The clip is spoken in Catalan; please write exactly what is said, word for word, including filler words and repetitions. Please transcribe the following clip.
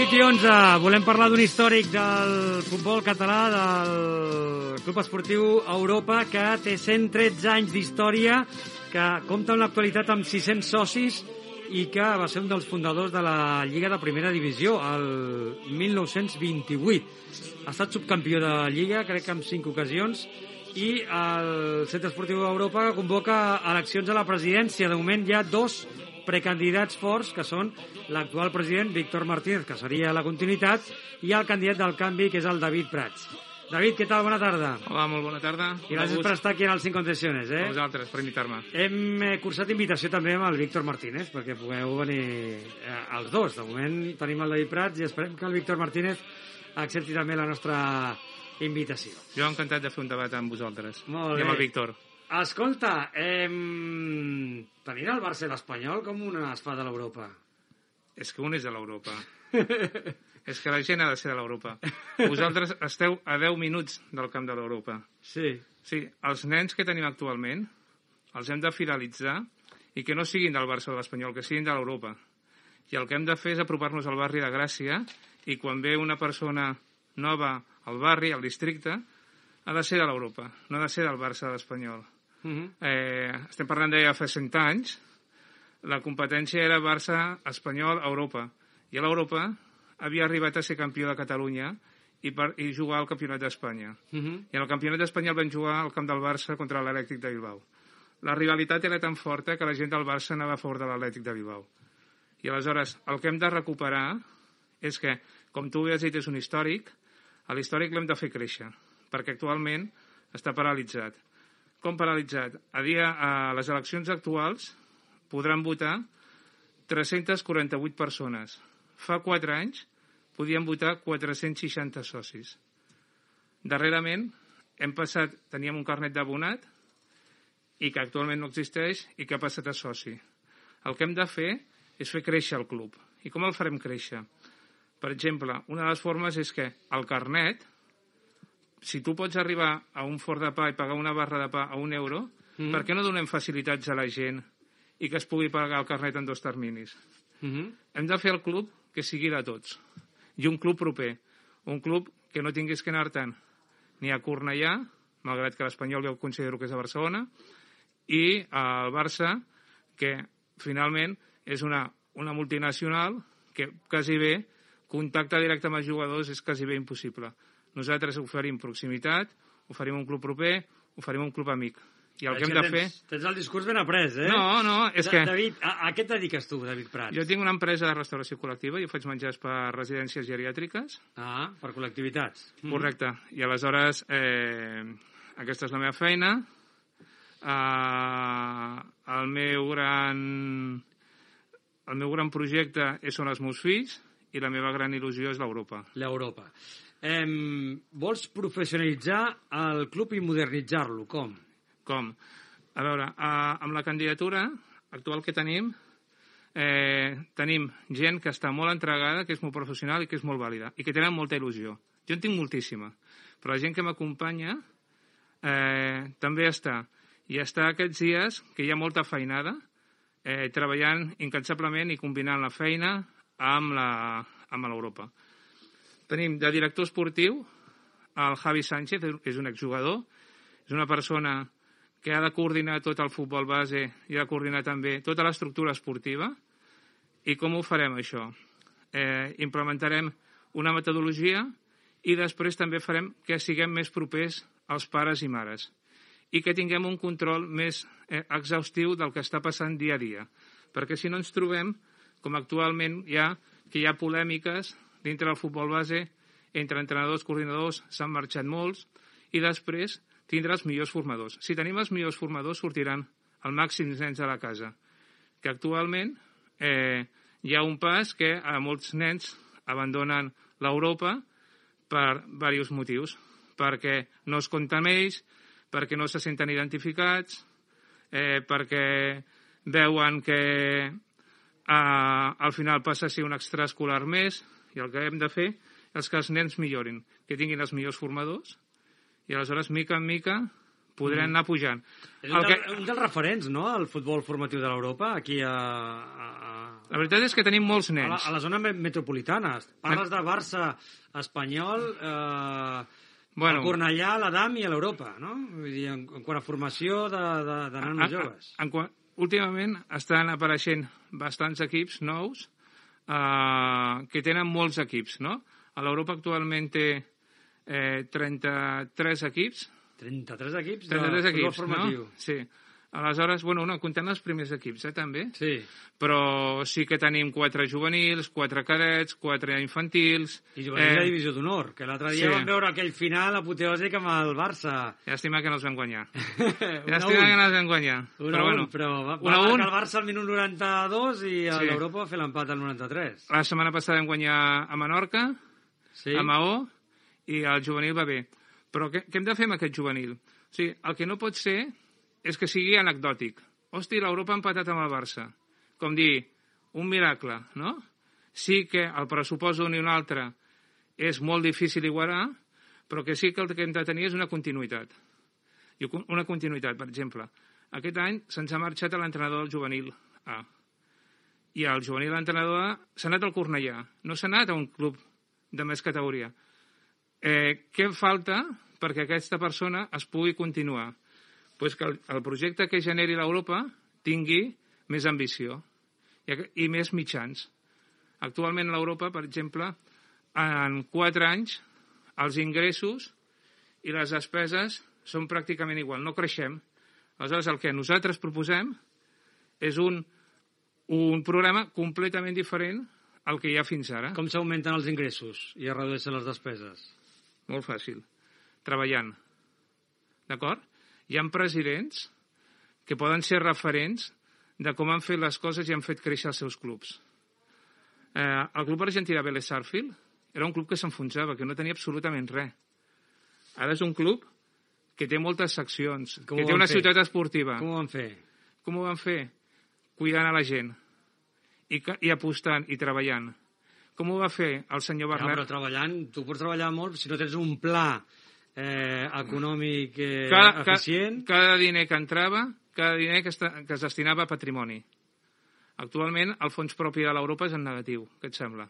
vuit i onze, volem parlar d'un històric del futbol català, del Club Esportiu Europa, que té cent tretze anys d'història, que compta en l'actualitat amb sis-cents socis i que va ser un dels fundadors de la Lliga de Primera Divisió el mil nou-cents vint-i-vuit. Ha estat subcampió de Lliga, crec que en cinc ocasions, i el Centre Esportiu Europa convoca eleccions a la presidència. De moment hi ha dos precandidats forts, que són l'actual president, Víctor Martínez, que seria la continuïtat, i el candidat del canvi, que és el David Prats. David, què tal? Bona tarda. Hola, molt bona tarda. I gràcies per estar aquí en el Sin Concesiones, eh? A vosaltres, per invitar-me. Hem eh, cursat invitació també amb el Víctor Martínez, perquè pugueu venir eh, els dos. De moment tenim el David Prats i esperem que el Víctor Martínez accepti també la nostra invitació. Jo encantat de fer un debat amb vosaltres. Molt bé. I amb el Víctor. Escolta, eh, tenir el Barça i l'Espanyol com una espada a l'Europa. És que un és de l'Europa. És que la gent ha de ser de l'Europa. Vosaltres esteu a deu minuts del camp de l'Europa. Sí. Sí, els nens que tenim actualment els hem de fidelitzar i que no siguin del Barça o de l'Espanyol, que siguin de l'Europa. I el que hem de fer és apropar-nos al barri de Gràcia i quan ve una persona nova al barri, al districte, ha de ser de l'Europa, no ha de ser del Barça o de l'Espanyol. Uh-huh. eh, estem parlant de fa cent anys, la competència era Barça, Espanyol, Europa. I a l'Europa havia arribat a ser campió de Catalunya i, per, i jugar al Campionat d'Espanya. Uh-huh. I en el Campionat d'Espanya el van jugar al camp del Barça contra l'Atlètic de Bilbao. La rivalitat era tan forta que la gent del Barça anava a favor de l'Atlètic de Bilbao. I aleshores el que hem de recuperar és que, com tu has dit, és un històric, a l'històric l'hem de fer créixer, perquè actualment està paralitzat. Com paralitzat? A, dia, a les eleccions actuals podran votar tres-centes quaranta-vuit persones. Fa quatre anys podien votar quatre-cents seixanta socis. Darrerament hem passat, teníem un carnet d'abonat i que actualment no existeix i que ha passat a soci. El que hem de fer és fer créixer el club. I com el farem créixer? Per exemple, una de les formes és que el carnet, si tu pots arribar a un forn de pa i pagar una barra de pa a un euro, mm-hmm. per què no donem facilitats a la gent i que es pugui pagar el carnet en dos terminis? Mm-hmm. Hem de fer el club que sigui de tots. I un club proper. Un club que no tinguis que anar tant ni a Cornellà, malgrat que l'Espanyol jo considero que és a Barcelona, i el Barça, que finalment és una, una multinacional que quasi bé contacte directe amb els jugadors és quasi bé impossible. Nosaltres oferim proximitat, oferim un club proper, oferim un club amic. I el que hem de fer... Tens el discurs ben après, eh? No, no, és que... David, a, a què et dediques tu, David Prats? Jo tinc una empresa de restauració col·lectiva, jo faig menjars per residències geriàtriques. Ah, per col·lectivitats. Correcte. I aleshores, eh, aquesta és la meva feina. Eh, el meu gran... El meu gran projecte són els meus fills i la meva gran il·lusió és l'Europa. L'Europa. Eh, vols professionalitzar el club i modernitzar-lo, com? Com? A veure, eh, amb la candidatura actual que tenim, eh, tenim gent que està molt entregada, que és molt professional i que és molt vàlida, i que tenen molta il·lusió. Jo en tinc moltíssima, però la gent que m'acompanya eh, també està. I està aquests dies que hi ha molta feinada, eh, treballant incansablement i combinant la feina amb la, amb l'Europa. Tenim de director esportiu el Javi Sánchez, és un exjugador, és una persona que ha de coordinar tot el futbol base i ha de coordinar també tota l'estructura esportiva. I com ho farem, això? Eh, implementarem una metodologia i després també farem que siguem més propers als pares i mares i que tinguem un control més eh, exhaustiu del que està passant dia a dia. Perquè si no ens trobem, com actualment hi ha, que hi ha polèmiques dintre del futbol base entre entrenadors, coordinadors, s'han marxat molts, i després tindrà els millors formadors. Si tenim els millors formadors, sortiran el màxim nens de la casa. Que actualment eh, hi ha un pas que a molts nens abandonen l'Europa per diversos motius. Perquè no es compta amb ells, perquè no se senten identificats, eh, perquè veuen que eh, al final passa a ser un extraescolar més, i el que hem de fer és que els nens millorin, que tinguin els millors formadors, i aleshores, mica en mica, podrem mm. anar pujant. És un, que... del, un dels referents, no?, al futbol formatiu de l'Europa, aquí a, a, a... La veritat és que tenim molts nens. A la, a la zona metropolitana. Parles de Barça, Espanyol, eh, bueno, el Cornellà, l'Adam i a l'Europa, no? Vull dir, en, en quant a formació de, de, de nanos joves. En, en, últimament estan apareixent bastants equips nous eh, que tenen molts equips, no? A l'Europa actualment té eh, trenta-tres equips. trenta-tres equips de trenta-tres futbol equips, formatiu. No? Sí. Aleshores, bueno, no, comptant els primers equips, eh, també. Sí. Però sí que tenim quatre juvenils, quatre cadets, quatre infantils... I juvenils eh... de divisió d'honor, que l'altre dia sí. vam veure aquell final apoteòsic amb el Barça. Llàstima que no els vam guanyar. Llàstima que no els vam guanyar. Un però, un, bueno, però va, va marcar el Barça al minut noranta-dos i sí. l'Europa va fer l'empat al noranta-tres. La setmana passada vam guanyar a Menorca, sí. a Maó, i el juvenil va bé. Però què, què hem de fer amb aquest juvenil? O sigui, el que no pot ser és que sigui anecdòtic. Hosti, l'Europa ha empatat amb el Barça. Com dir, un miracle, no? Sí que el pressupost d'un i un altre és molt difícil igualar, però que sí que el que hem de tenir és una continuïtat. I una continuïtat, per exemple. Aquest any se'ns ha marxat l'entrenador del juvenil A. I el juvenil entrenador A s'ha anat al Cornellà. No s'ha anat a un club de més categoria. Eh, què falta perquè aquesta persona es pugui continuar? Pues que el, el projecte que generi l'Europa tingui més ambició i, i més mitjans. Actualment a l'Europa, per exemple, en quatre anys, els ingressos i les despeses són pràcticament igual, no creixem. Aleshores, el que nosaltres proposem és un, un programa completament diferent al que hi ha fins ara. Com s'augmenten els ingressos i es redueixen les despeses? Molt fàcil. Treballant. D'acord? Hi ha presidents que poden ser referents de com han fet les coses i han fet créixer els seus clubs. Eh, el club argentí de Vélez Sarsfield era un club que s'enfonsava, que no tenia absolutament res. Ara és un club que té moltes seccions, com que té una fer? ciutat esportiva. Com ho van fer? Com ho van fer? Cuidant a la gent i, i apostant i treballant. Com ho va fer el senyor Bernat? Ja, però treballant, tu pots treballar molt si no tens un pla Eh, econòmic eh, cada, eficient. Cada, cada diner que entrava, cada diner que, esta, que es destinava a patrimoni. Actualment, el fons propi de l'Europa és en negatiu. Què et sembla?